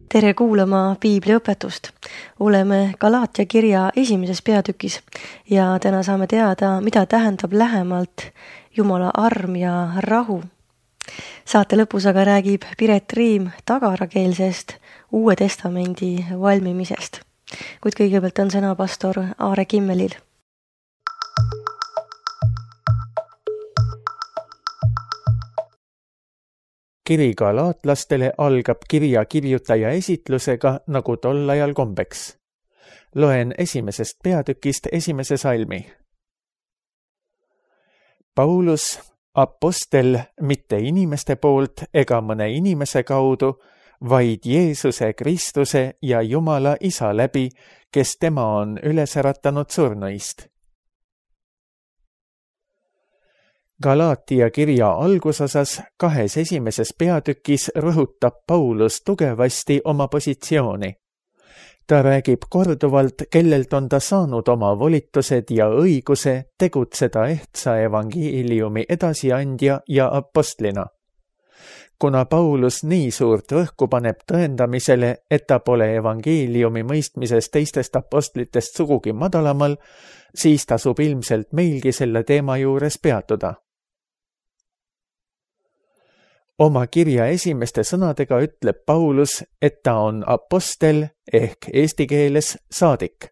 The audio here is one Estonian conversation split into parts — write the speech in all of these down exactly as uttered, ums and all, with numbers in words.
Tere kuulama piibliõpetust. Oleme Galaatia kirja esimeses peatükis ja täna saame teada, mida tähendab lähemalt Jumala arm ja rahu. Saate lõpus aga räägib Piret Riim tagarakeelsest Uue Testamendi valmimisest. Kuid kõigepealt on sõna pastor Aare Kimmelil. Kiri galaatlastele algab kirja kirjutaja esitlusega, nagu tol ajal kombeks. Loen esimesest peatükist esimese salmi. Paulus, apostel, mitte inimeste poolt ega mõne inimese kaudu, vaid Jeesuse Kristuse ja Jumala Isa läbi, kes tema on üles äratanud surnuist. Galaatia kirja algusosas kahes esimeses peatükis rõhutab Paulus tugevasti oma positsiooni. Ta räägib korduvalt, kellelt on ta saanud oma volitused ja õiguse tegutseda ehtsa evangeeliumi edasiandja ja apostlina. Kuna Paulus nii suurt rõhku paneb tõendamisele, et ta pole evangeeliumi mõistmises teistest apostlitest sugugi madalamal, siis tasub ilmselt meilgi selle teema juures peatuda. Oma kirja esimeste sõnadega ütleb Paulus, et ta on apostel ehk eesti keeles saadik.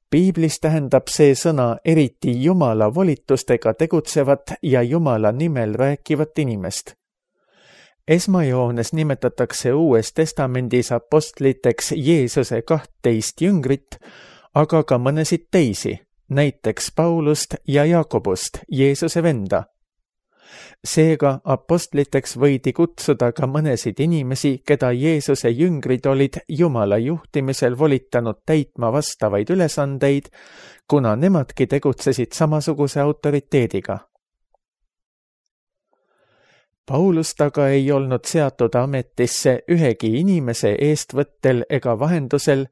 Piiblis tähendab see sõna eriti Jumala volitustega tegutsevat ja Jumala nimel rääkivat inimest. Esmajoones nimetatakse Uues Testamendis apostliteks Jeesuse kahtteist jüngrit, aga ka mõnesid teisi, näiteks Paulust ja Jaakobust, Jeesuse venda. Seega apostliteks võidi kutsuda ka mõnesid inimesi, keda Jeesuse jüngrid olid Jumala juhtimisel volitanud täitma vastavaid ülesandeid, kuna nemadki tegutsesid samasuguse autoriteediga. Paulust aga ei olnud seatud ametisse ühegi inimese eestvõttel ega vahendusel,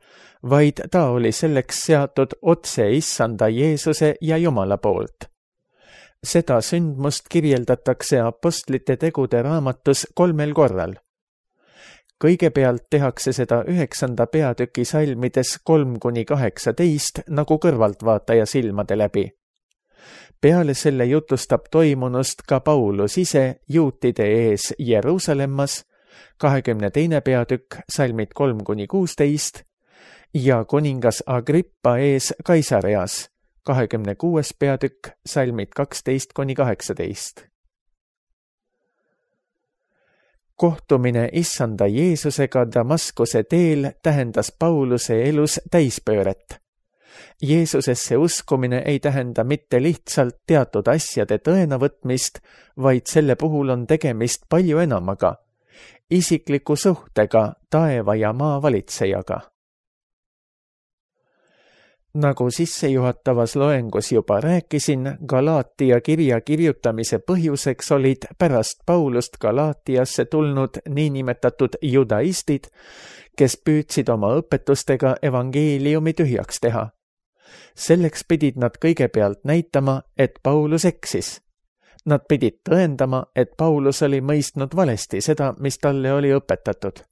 vaid ta oli selleks seatud otse issanda Jeesuse ja Jumala poolt. Seda sündmust kirjeldatakse apostlite tegude raamatus kolmel korral. Kõigepealt tehakse seda üheksanda peatüki salmides kolm kuni kaheksateist nagu kõrvaltvaataja silmade läbi. Peale selle jutustab toimunust ka Paulus ise juutide ees Jeruusalemmas, kahekümne teine peatükk, salmid kolm kuni kuusteist, ja kuningas Agrippa ees Kaisareas, kahekümne kuues peatükk, salmid kaksteist kuni kaheksateist. Kohtumine issanda Jeesusega Damaskuse teel tähendas Pauluse elus täispööret. Jeesusesse uskumine ei tähenda mitte lihtsalt teatud asjade tõenavõtmist, vaid selle puhul on tegemist palju enamaga, isikliku suhtega taeva ja maa valitsejaga. Nagu sissejuhatavas loengus juba rääkisin, Galaatia kirja kirjutamise põhjuseks olid pärast Paulust Galaatiasse tulnud niinimetatud judaistid, kes püüdsid oma õpetustega evangeeliumi tühjaks teha. Selleks pidid nad kõigepealt näitama, et Paulus eksis. Nad pidid tõendama, et Paulus oli mõistnud valesti seda, mis talle oli õpetatud.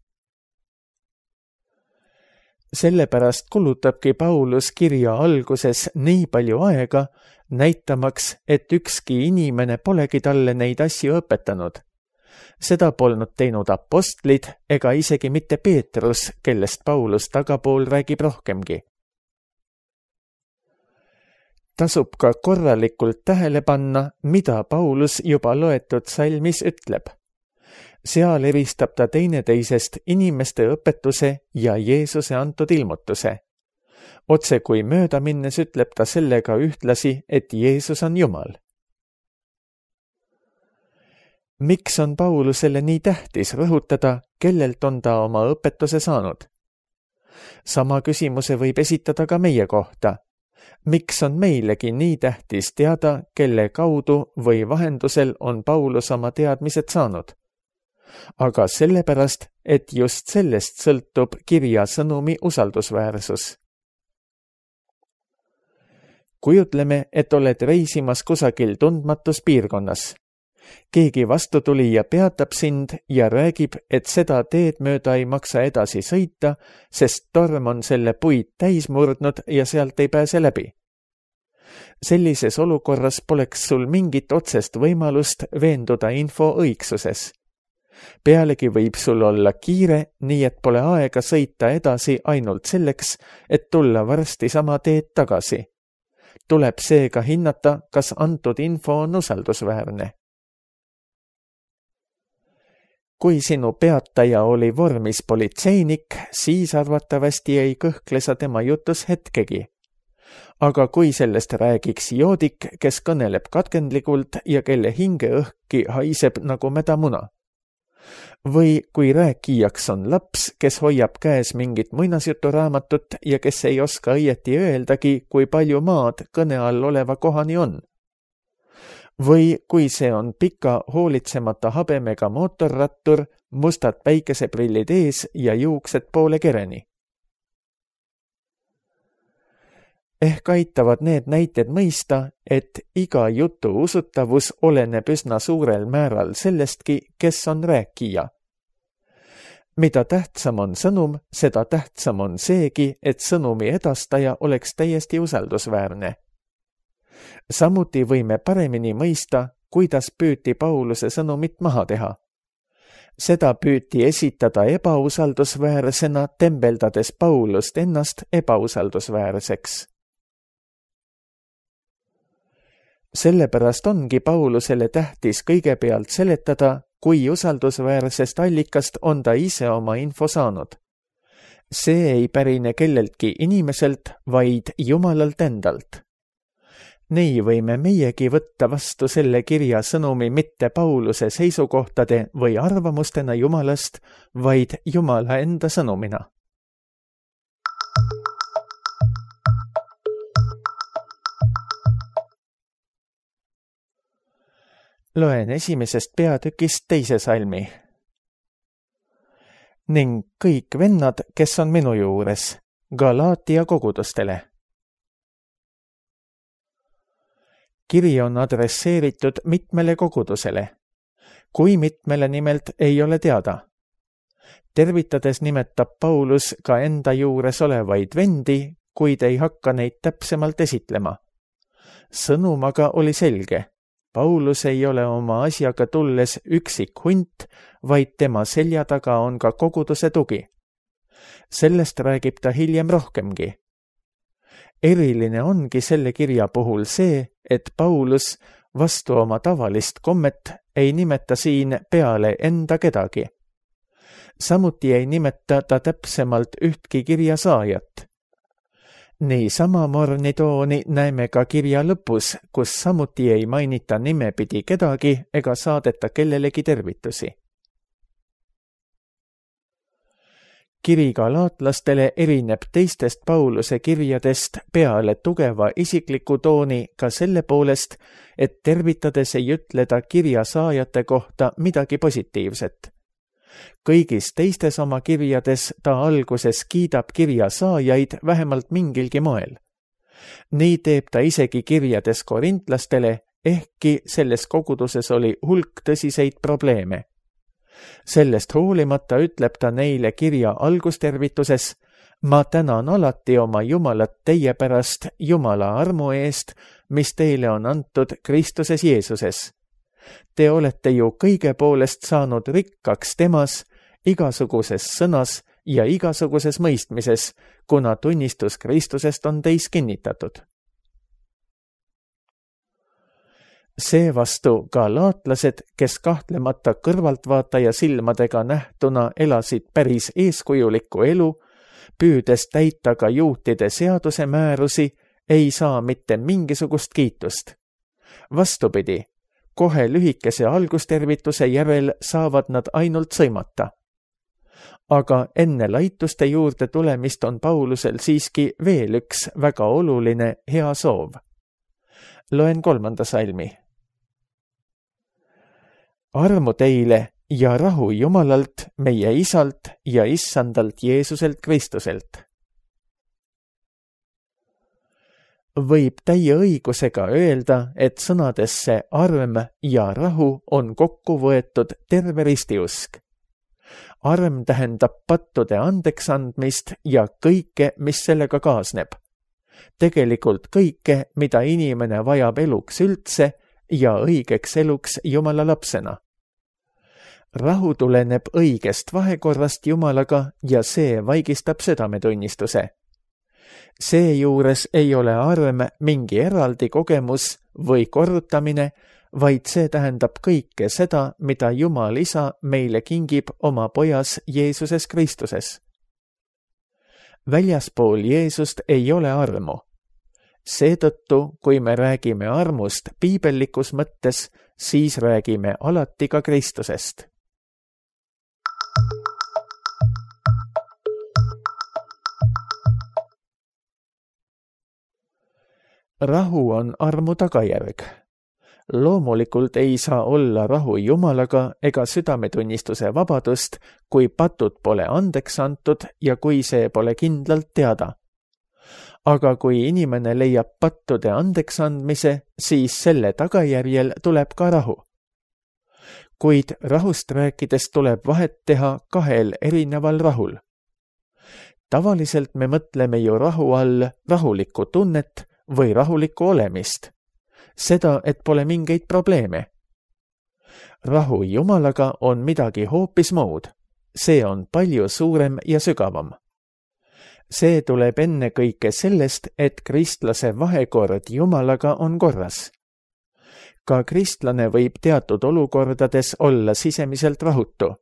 Sellepärast kulutabki Paulus kirja alguses nii palju aega, näitamaks, et ükski inimene polegi talle neid asju õpetanud. Seda polnud teinud apostlid ega isegi mitte Peetrus, kellest Paulus tagapool räägib rohkemgi. Tasub ka korralikult tähele panna, mida Paulus juba loetud salmis ütleb. Seal eristab ta teineteisest inimeste õpetuse ja Jeesuse antud ilmutuse. Otse kui mööda minnes ütleb ta sellega ühtlasi, et Jeesus on Jumal. Miks on Paulusele nii tähtis rõhutada, kellelt on ta oma õpetuse saanud? Sama küsimuse võib esitada ka meie kohta. Miks on meilegi nii tähtis teada, kelle kaudu või vahendusel on Paulus oma teadmised saanud? Aga sellepärast, et just sellest sõltub kirja sõnumi usaldusväärsus. Kujutleme, et oled reisimas kusagil tundmatus piirkonnas. keegi vastutulija peatab sind ja räägib, et seda teed mööda ei maksa edasi sõita, sest torm on selle puid täis murdnud ja sealt ei pääse läbi. Sellises olukorras poleks sul mingit otsest võimalust veenduda info õigsuses. Pealegi võib sul olla kiire, nii et pole aega sõita edasi ainult selleks, et tulla varsti sama teed tagasi. Tuleb seega hinnata, kas antud info on usaldusväärne. Kui sinu peataja oli vormis politseinik, siis arvatavasti ei kõhkle sa tema jutus hetkegi. Aga kui sellest räägiks joodik, kes kõneleb katkendlikult ja kelle hingeõhki haiseb nagu mädamuna. Või kui rääkijaks on laps, kes hoiab käes mingit muinasjuturaamatut ja kes ei oska õieti öeldagi, kui palju maad kõne all oleva kohani on. Või kui see on pika hoolitsemata habemega mootorrattur, mustad päikeseprillid ees ja juuksed poole kereni. Ehk aitavad need näited mõista, et iga jutu usutavus oleneb üsna suurel määral sellestki, kes on rääkija. Mida tähtsam on sõnum, seda tähtsam on seegi, et sõnumi edastaja oleks täiesti usaldusväärne. Samuti võime paremini mõista, kuidas püüti Pauluse sõnumit maha teha. Seda püüti esitada ebausaldusväärsena, tembeldades Paulust ennast ebausaldusväärseks. Sellepärast ongi Paulusele tähtis kõigepealt seletada, kui usaldusväärsest allikast on ta ise oma info saanud. See ei pärine kelleltki inimeselt, vaid Jumalalt endalt. Nii võime meiegi võtta vastu selle kirja sõnumi mitte Pauluse seisukohtade või arvamustena Jumalast, vaid Jumala enda sõnumina. Loen esimesest peatükist teise salmi. Ning kõik vennad, kes on minu juures, Galaatia kogudustele. Kiri on adresseeritud mitmele kogudusele. Kui mitmele nimelt ei ole teada. Tervitades nimetab Paulus ka enda juures olevaid vendi, kuid ei hakka neid täpsemalt esitlema. Sõnum aga oli selge. Paulus ei ole oma asjaga tulles üksik hunt, vaid tema selja taga on ka koguduse tugi. Sellest räägib ta hiljem rohkemgi. Eriline ongi selle kirja puhul see, et Paulus vastu oma tavalist kommet ei nimeta siin peale enda kedagi. Samuti ei nimeta ta täpsemalt ühtki kirja saajat. Nii sama mornitooni näeme ka kirja lõpus, kus samuti ei mainita nimepidi kedagi ega saadeta kellelegi tervitusi. Kiri galaatlastele erineb teistest Pauluse kirjadest peale tugeva isikliku tooni ka selle poolest, et tervitades ei ütle ta kirja saajate kohta midagi positiivset. Kõigis teistes oma kirjades ta alguses kiidab kirja saajaid vähemalt mingilgi moel. Nii teeb ta isegi kirjades korintlastele, ehkki selles koguduses oli hulk tõsiseid probleeme. Sellest hoolimata ütleb ta neile kirja algustervituses: ma tänan alati oma Jumalat teie pärast Jumala armu eest, mis teile on antud Kristuses Jeesuses. Te olete ju kõige poolest saanud rikkaks temas, igasuguses sõnas ja igasuguses mõistmises, kuna tunnistus Kristusest on teis kinnitatud. Seevastu galaatlased, kes kahtlemata kõrvaltvaataja silmadega nähtuna elasid päris eeskujulikku elu, püüdes täita ka juutide seaduse määrusi, ei saa mitte mingisugust kiitust. Vastupidi, kohe lühikese algustervituse järel saavad nad ainult sõimata. Aga enne laituste juurde tulemist on Paulusel siiski veel üks väga oluline hea soov. Loen kolmanda salmi. Armu teile ja rahu Jumalalt, meie Isalt ja Issandalt Jeesuselt Kristuselt. võib täie õigusega öelda, et sõnadesse arm ja rahu on kokku võetud terve ristiusk. Arm tähendab pattude andeks andmist ja kõike, mis sellega kaasneb. Tegelikult kõike, mida inimene vajab eluks üldse ja õigeks eluks Jumala lapsena. Rahu tuleneb õigest vahekorrast Jumalaga ja see vaigistab südametunnistuse. Seejuures ei ole arm mingi eraldi kogemus või korrutamine, vaid see tähendab kõike seda, mida Jumal Isa meile kingib oma pojas Jeesuses Kristuses. Väljaspool Jeesust ei ole armu. Seetõttu, kui me räägime armust piibellikus mõttes, siis räägime alati ka Kristusest. Rahu on armu tagajärg. Loomulikult ei saa olla rahu Jumalaga ega südametunnistuse vabadust, kui patud pole andeks antud ja kui see pole kindlalt teada. Aga kui inimene leiab pattude andeks andmise, siis selle tagajärjel tuleb ka rahu. Kuid rahust rääkides tuleb vahet teha kahel erineval rahul. Tavaliselt me mõtleme ju rahu all rahulikku tunnet või rahulikku olemist. Seda, et pole mingeid probleeme. Rahu Jumalaga on midagi hoopis muud. See on palju suurem ja sügavam. See tuleb ennekõike sellest, et kristlase vahekord Jumalaga on korras. Ka kristlane võib teatud olukordades olla sisemiselt rahutu.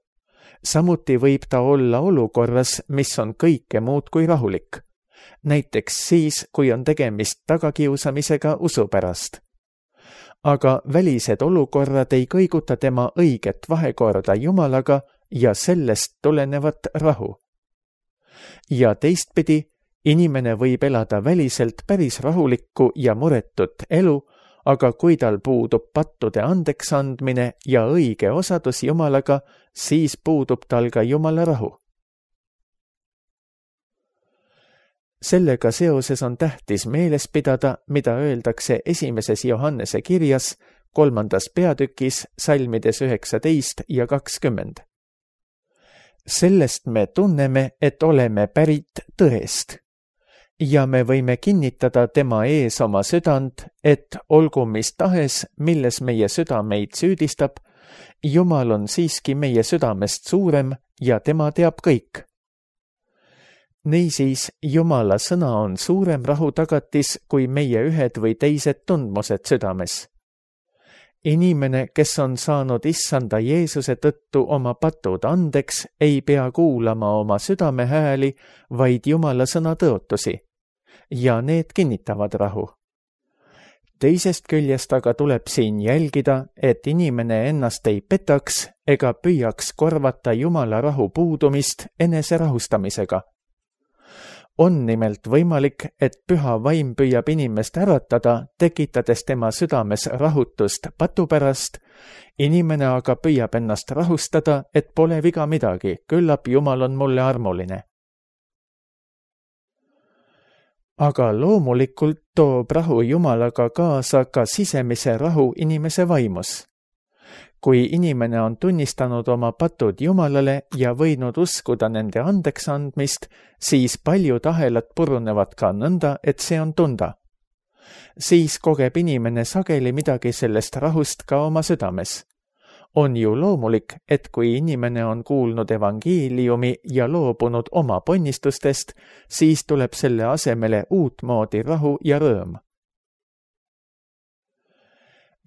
Samuti võib ta olla olukorras, mis on kõike muud kui rahulik. Näiteks siis, kui on tegemist tagakiusamisega usu pärast. Aga välised olukorrad ei kõiguta tema õiget vahekorda Jumalaga ja sellest tulenevat rahu. Ja teistpidi, inimene võib elada väliselt päris rahulikku ja muretut elu, aga kui tal puudub pattude andeks andmine ja õige osadus Jumalaga, siis puudub tal ka Jumala rahu. Sellega seoses on tähtis meeles pidada, mida öeldakse esimeses Johannese kirjas, kolmandas peatükis, salmides üheksateist ja kakskümmend. Sellest me tunneme, et oleme pärit tõest. Ja me võime kinnitada tema ees oma südant, et olgu mis tahes, milles meie süda meid süüdistab, Jumal on siiski meie südamest suurem ja tema teab kõik. Niisiis, Jumala sõna on suurem rahu tagatis kui meie ühed või teised tundmused südames. Inimene, kes on saanud issanda Jeesuse tõttu oma patud andeks, ei pea kuulama oma südame hääli, vaid Jumala sõna tõotusi. Ja need kinnitavad rahu. Teisest küljest aga tuleb siin jälgida, et inimene ennast ei petaks ega püüaks korvata Jumala rahu puudumist enese rahustamisega. On nimelt võimalik, et püha vaim püüab inimest äratada, tekitades tema südames rahutust patu pärast, inimene aga püüab ennast rahustada, et pole viga midagi, küllap Jumal on mulle armuline. Aga loomulikult toob rahu Jumalaga kaasa ka sisemise rahu inimese vaimus. Kui inimene on tunnistanud oma patud Jumalale ja võinud uskuda nende andeks andmist, siis paljud ahelad purunevad ka nõnda, et see on tunda. Siis kogeb inimene sageli midagi sellest rahust ka oma südames. On ju loomulik, et kui inimene on kuulnud evangeeliumi ja loobunud oma ponnistustest, siis tuleb selle asemele uutmoodi rahu ja rõõm.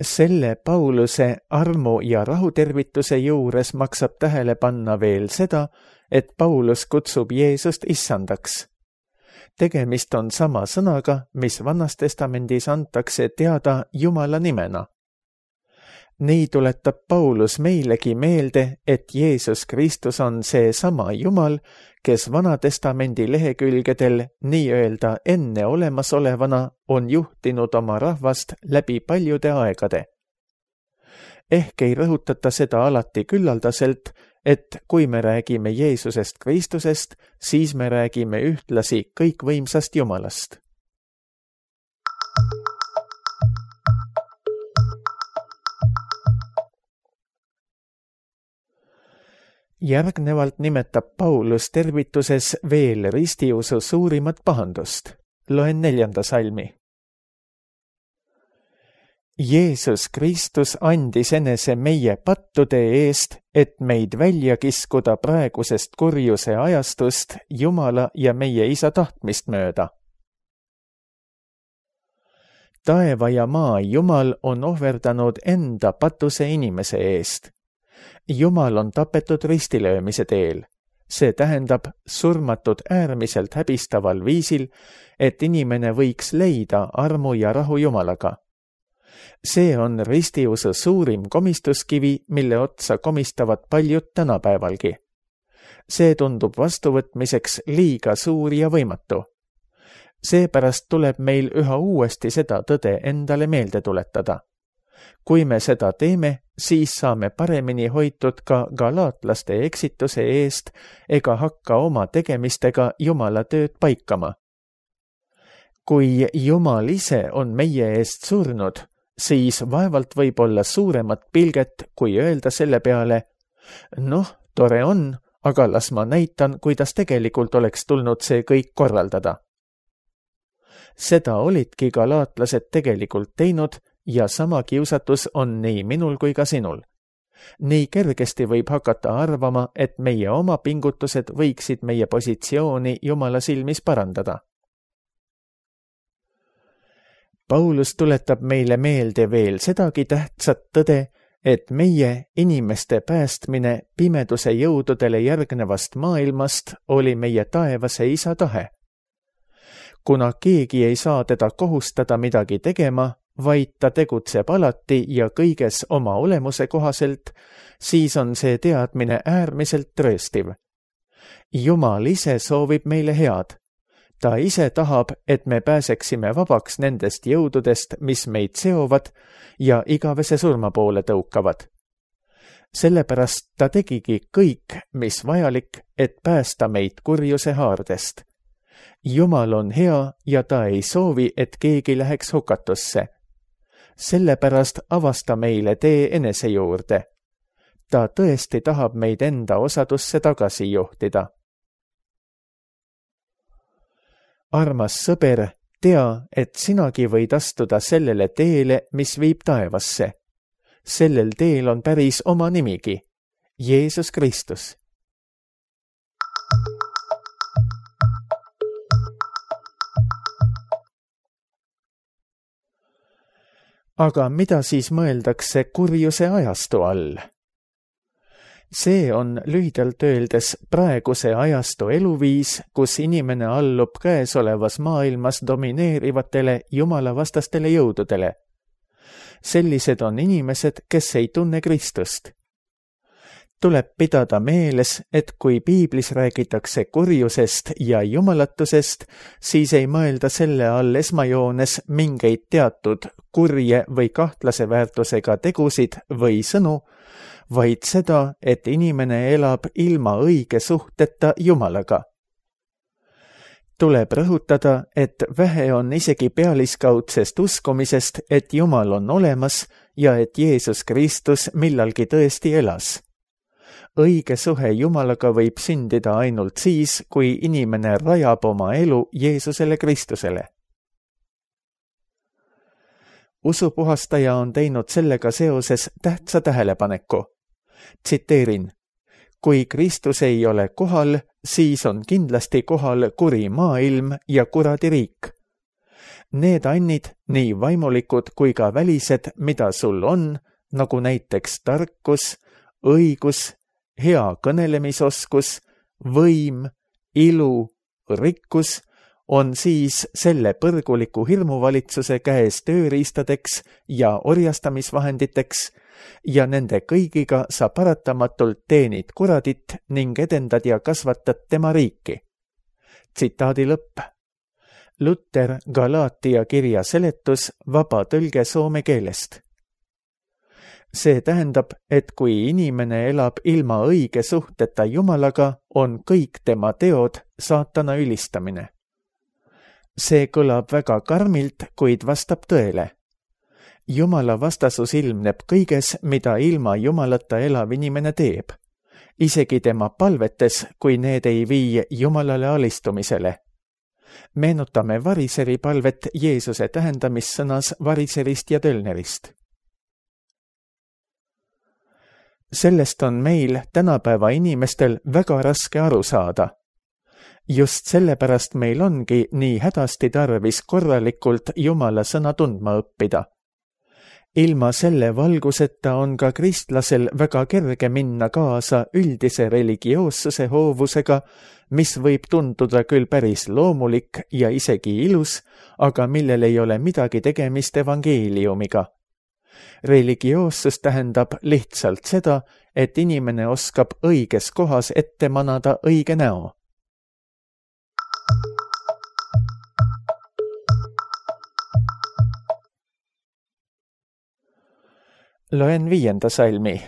Selle Pauluse armu ja rahutervituse juures maksab tähele panna veel seda, et Paulus kutsub Jeesust issandaks. Tegemist on sama sõnaga, mis Vanas Testamendis antakse teada Jumala nimena. Nii tuletab Paulus meilegi meelde, et Jeesus Kristus on see sama Jumal, kes Vana Testamendi lehekülgedel nii-öelda enne olemasolevana on juhtinud oma rahvast läbi paljude aegade. Ehk ei rõhutata seda alati küllaldaselt, et kui me räägime Jeesusest Kristusest, siis me räägime ühtlasi kõikvõimsast Jumalast. Järgnevalt nimetab Paulus tervituses veel ristiusu suurimat pahandust. Loen neljanda salmi. Jeesus Kristus andis enese meie pattude eest, et meid välja kiskuda praegusest kurjuse ajastust Jumala ja meie Isa tahtmist mööda. Taeva ja maa Jumal on ohverdanud enda patuse inimese eest. Jumal on tapetud ristilöömise teel. See tähendab surmatud äärmiselt häbistaval viisil, et inimene võiks leida armu ja rahu Jumalaga. See on ristiusu suurim komistuskivi, mille otsa komistavad paljud tänapäevalgi. See tundub vastuvõtmiseks liiga suur ja võimatu. Seepärast tuleb meil üha uuesti seda tõde endale meelde tuletada. Kui me seda teeme, siis saame paremini hoitud ka galaatlaste eksituse eest ega hakka oma tegemistega Jumala tööd paikama. Kui Jumal ise on meie eest surnud, siis vaevalt võib olla suuremat pilget, kui öelda selle peale, noh, tore on, aga las ma näitan, kuidas tegelikult oleks tulnud see kõik korraldada. Seda olidki galaatlased tegelikult teinud ja sama kiusatus on nii minul kui ka sinul. Nii kergesti võib hakata arvama, et meie oma pingutused võiksid meie positsiooni Jumala silmis parandada. Paulus tuletab meile meelde veel sedagi tähtsat tõde, et meie inimeste päästmine pimeduse jõududele järgnevast maailmast oli meie taevase Isa tahe. Kuna keegi ei saa teda kohustada midagi tegema, vaid ta tegutseb alati ja kõiges oma olemuse kohaselt, siis on see teadmine äärmiselt trööstiv. Jumal ise soovib meile head. Ta ise tahab, et me pääseksime vabaks nendest jõududest, mis meid seovad ja igavese surma poole tõukavad. Sellepärast ta tegigi kõik, mis vajalik, et päästa meid kurjuse haardest. Jumal on hea ja ta ei soovi, et keegi läheks hukatusse. Sellepärast avasta meile tee enese juurde. Ta tõesti tahab meid enda osadusse tagasi juhtida. Armas sõber, tea, et sinagi võid astuda sellele teele, mis viib taevasse. Sellel teel on päris oma nimigi, Jeesus Kristus. Aga mida siis mõeldakse kurjuse ajastu all? See on lühidalt öeldes praeguse ajastu eluviis, kus inimene allub käesolevas maailmas domineerivatele jumalavastastele jõududele. Sellised on inimesed, kes ei tunne Kristust. Tuleb pidada meeles, et kui piiblis räägitakse kurjusest ja jumalatusest, siis ei mõelda selle all esmajoones mingeid teatud kurje või kahtlase väärtusega tegusid või sõnu, vaid seda, et inimene elab ilma õige suhteta Jumalaga. Tuleb rõhutada, et vähe on isegi pealiskaudsest uskumisest, et Jumal on olemas ja et Jeesus Kristus millalgi tõesti elas. Õige suhe Jumalaga võib sündida ainult siis, kui inimene rajab oma elu Jeesusele Kristusele. Usupuhastaja on teinud sellega seoses tähtsa tähelepaneku. Tsiteerin, kui Kristus ei ole kohal, siis on kindlasti kohal kuri maailm ja kuradi riik. Need annid, nii vaimulikud kui ka välised, mida sul on, nagu näiteks tarkus, õigus, hea kõnelemisoskus, võim, ilu, rikkus, on siis selle põrguliku hirmuvalitsuse käes tööriistadeks ja orjastamisvahenditeks ja nende kõigiga sa paratamatult teenid kuradit ning edendad ja kasvatad tema riiki. Tsitaadi lõpp. Luther Galaatia kirja seletus, vaba tõlge soome keelest. See tähendab, et kui inimene elab ilma õige suhteta Jumalaga, on kõik tema teod saatana ülistamine. See kõlab väga karmilt, kuid vastab tõele. Jumala vastasus ilmneb kõiges, mida ilma Jumalata elav inimene teeb. isegi tema palvetes, kui need ei vii Jumalale alistumisele. Meenutame variseri palvet Jeesuse tähendamissõnas variserist ja tölnerist. Sellest on meil tänapäeva inimestel väga raske aru saada. Just sellepärast meil ongi nii hädasti tarvis korralikult Jumala sõna tundma õppida. Ilma selle valguseta on ka kristlasel väga kerge minna kaasa üldise religioossuse hoovusega, mis võib tunduda küll päris loomulik ja isegi ilus, aga millel ei ole midagi tegemist evangeeliumiga. Religioossus tähendab lihtsalt seda, et inimene oskab õiges kohas ette manada õige näo. Loen viienda salmi.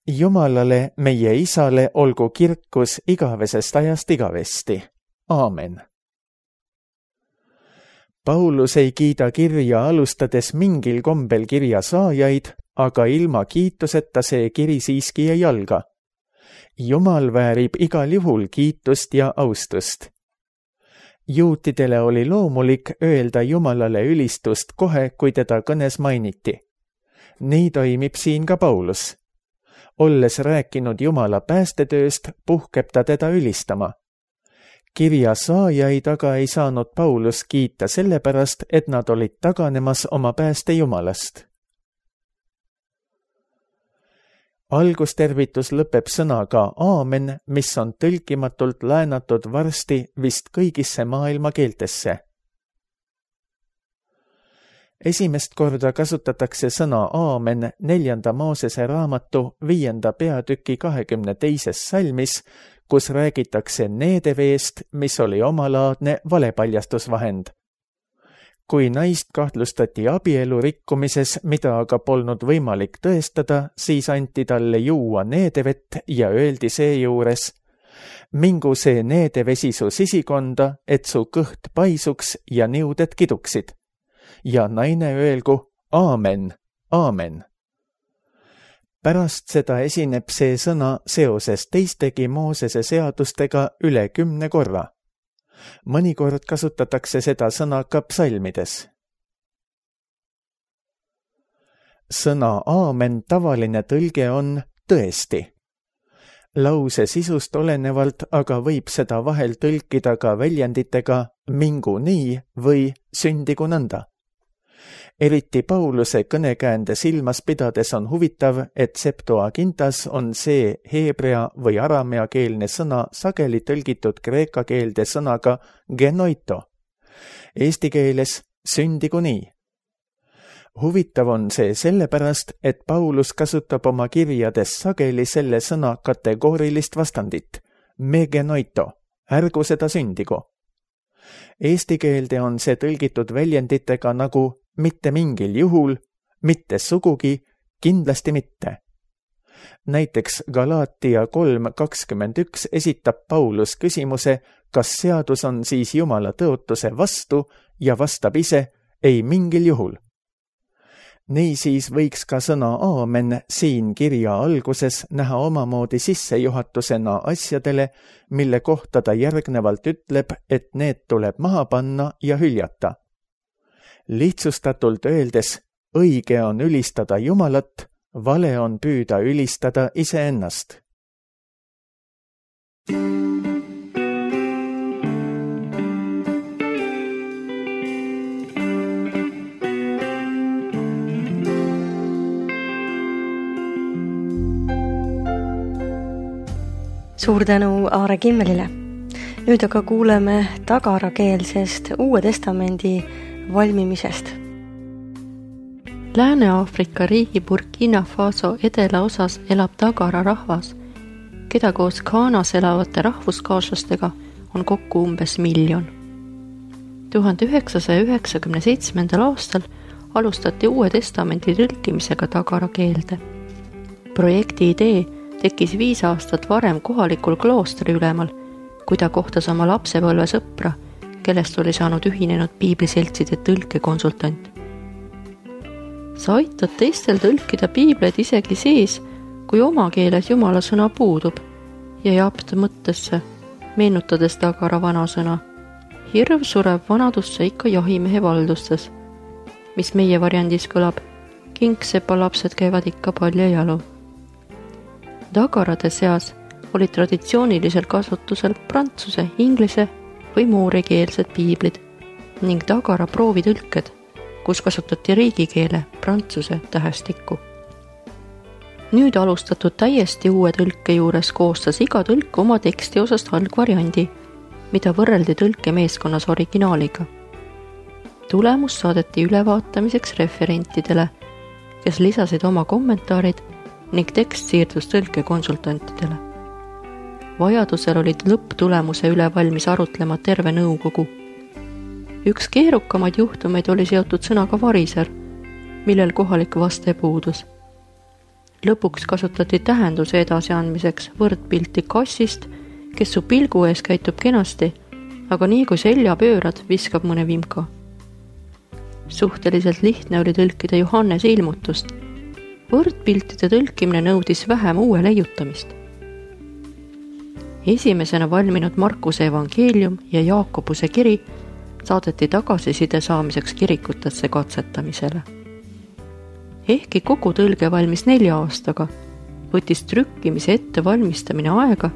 Jumalale, meie Isale, olgu kirkus igavesest ajast igavesti. Aamen. Paulus ei kiida kirja alustades mingil kombel kirja saajaid, aga ilma kiituseta see kiri siiski ei alga. Jumal väärib igal juhul kiitust ja austust. Juutidele oli loomulik öelda Jumalale ülistust kohe, kui teda kõnes mainiti. Nii toimib siin ka Paulus. Olles rääkinud Jumala päästetööst, puhkeb ta teda ülistama. Kirja saajaid aga ei saanud Paulus kiita sellepärast, et nad olid taganemas oma pääste Jumalast. Algustervitus lõpeb sõnaga aamen, mis on tõlkimatult laenatud varsti vist kõigisse maailma keeltesse. Esimest korda kasutatakse sõna aamen neljanda Moosese raamatu viienda peatüki kahekümne teises salmis, kus räägitakse needeveest, mis oli omalaadne valepaljastusvahend. Kui naist kahtlustati abielu rikkumises, mida aga polnud võimalik tõestada, siis anti talle juua needevett ja öeldi seejuures: mingu see needevesi su sisikonda, et su kõht paisuks ja niuded kiduksid. Ja naine öelgu aamen, aamen. Pärast seda esineb see sõna seoses teistegi Moosese seadustega üle kümne korra. Mõnikord kasutatakse seda sõna ka psalmides. Sõna aamen tavaline tõlge on tõesti. Lause sisust olenevalt aga võib seda vahel tõlkida ka väljenditega mingu nii või sündigu nõnda. Eriti Pauluse kõnekäände silmas pidades on huvitav, et Septuagintas on see heebrea või aramea keelne sõna sageli tõlgitud kreeka keelde sõnaga genoito. Eesti keeles sündigu nii. Huvitav on see sellepärast, et Paulus kasutab oma kirjades sageli selle sõna kategoorilist vastandit, me genoito, ärgu seda sündigu. Eesti keelde on see tõlgitud väljenditega nagu mitte mingil juhul, mitte sugugi, kindlasti mitte. Näiteks Galaatia kolm kakskümmend üks esitab Paulus küsimuse, kas seadus on siis Jumala tõotuse vastu ja vastab ise ei mingil juhul. Niisiis võiks ka sõna aamen siin kirja alguses näha omamoodi sissejuhatusena asjadele, mille kohta ta järgnevalt ütleb, et need tuleb maha panna ja hüljata. Lihtsustatult öeldes, õige on ülistada Jumalat, vale on püüda ülistada iseennast. Suur tänu Aare Kimmelile. Nüüd aga kuuleme tagarakeelsest Uue Testamendi valmimisest. Lääne-Aafrika riigi Burkina Faso edelaosas elab tagara rahvas, keda koos Ghanas elavate rahvuskaaslastega on kokku umbes miljon. tuhande üheksasaja üheksakümne seitsmendal aastal alustati Uue Testamendi tõlkimisega tagara keelde. Projekti idee tekkis viis aastat varem kohalikul kloostri ülemal, kui ta kohtas oma lapsepõlve sõpra, kellest oli saanud ühinenud piibliseltside tõlkekonsultant. Sa aitad teistel tõlkida piibleid isegi siis, kui oma keeles Jumala sõna puudub, jäi apt mõttesse, meenutades Tagara vanasõna. Hirv sureb vanadusse ikka jahimehe valdustes, mis meie variandis kõlab. Kingsepa lapsed käivad ikka paljajalu. Tagarade seas olid traditsiooniliselt kasutusel prantsuse, inglise või muurekeelsed piiblid ning Tagara proovitõlked, kus kasutati riigikeele prantsuse tähestikku. Nüüd alustatud täiesti uue tõlke juures koostas iga tõlk oma teksti osast algvariandi, mida võrreldi tõlkemeeskonnas originaaliga. Tulemus saadeti ülevaatamiseks referentidele, kes lisasid oma kommentaarid ning tekst siirdus tõlkekonsultantidele. Vajadusel olid lõpptulemuse üle valmis arutlema terve nõukogu. Üks keerukamaid juhtumeid oli seotud sõnaga variser, millel kohalik vaste puudus. Lõpuks kasutati tähenduse edasiandmiseks võrdpilti kassist, kes su pilgu ees käitub kenasti, aga nii kui selja pöörad, viskab mõne vimka. Suhteliselt lihtne oli tõlkida Johannese ilmutust. Võrdpiltide tõlkimine nõudis vähem uue leiutamist. Esimesena valminud Markuse evangeelium ja Jaakobuse kiri saadeti tagasiside saamiseks kirikutesse katsetamisele. Ehkki kogu tõlge valmis nelja aastaga, võttis trükkimise ette valmistamine aega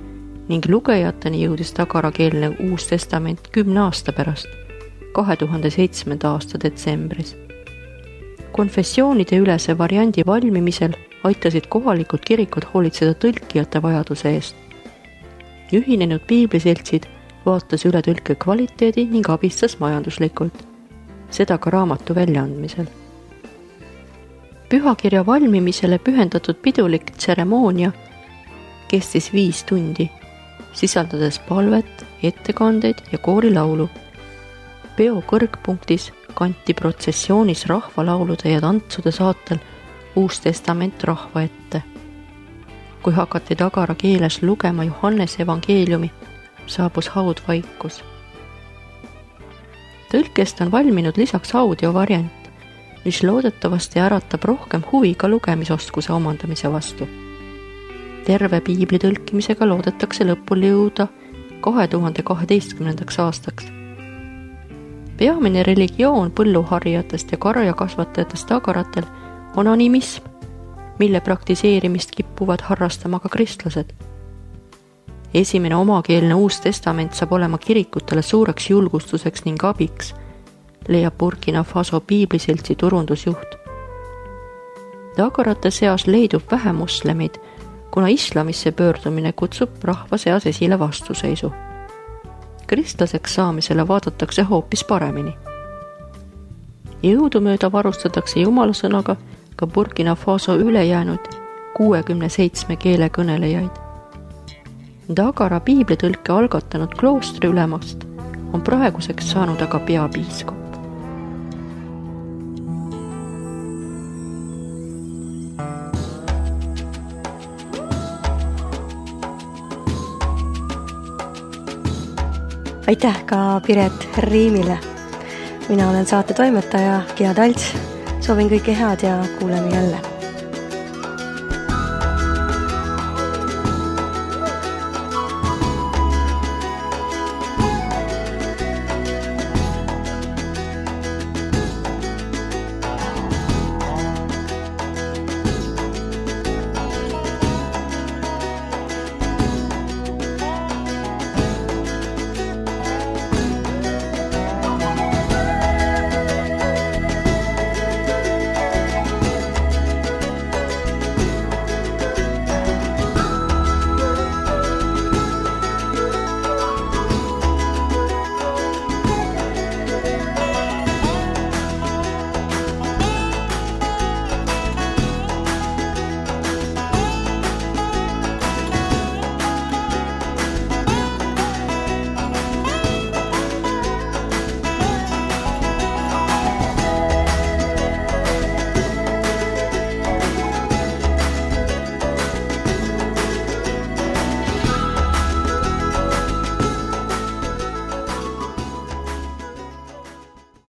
ning lugejateni jõudis tagarakeelne Uus Testament kümne aasta pärast, kahe tuhande seitsmenda aasta detsembris. Konfessioonide ülese variandi valmimisel aitasid kohalikud kirikud hoolitseda tõlkijate vajaduse eest. Ühinenud piibliseltsid vaatas üle tõlke kvaliteedi ning abistas majanduslikult, seda ka raamatu väljaandmisel. Pühakirja valmimisele pühendatud pidulik tseremoonia kestis viis tundi, sisaldades palvet, ettekandeid ja koorilaulu. Peo kõrgpunktis kanti protsessioonis rahvalaulude ja tantsude saatel Uus Testament rahva ette. Kui hakati Tagara keeles lugema Johannese evangeeliumi, saabus haudvaikus. Tõlkest on valminud lisaks audiovariant, mis loodetavasti äratab rohkem huvi ka lugemisoskuse omandamise vastu. Terve piibli tõlkimisega loodetakse lõpule jõuda kahe tuhande kaheteistkümnendaks aastaks. Peamine religioon põlluharjatest ja karjakasvatajatest tagaratel on animism, mille praktiseerimist kippuvad harrastama ka kristlased. Esimene omakeelne Uus Testament saab olema kirikutele suureks julgustuseks ning abiks, leiab Burkina Faso piibliseltsi turundusjuht. Tagarate seas leidub vähe moslemeid, kuna islamisse pöördumine kutsub rahva seas esile vastuseisu. Kristlaseks saamisele vaadatakse hoopis paremini. Jõudumööda varustatakse Jumala sõnaga ka Burkina Faso ülejäänud kuuekümne seitsme keele kõnelejaid. Tagara piiblitõlke algatanud kloostri ülemast on praeguseks saanud aga peapiiskop. Aitäh ka Piret Riimile. Mina olen saate toimetaja Gea Talts. Soovin kõike head ja kuuleme jälle.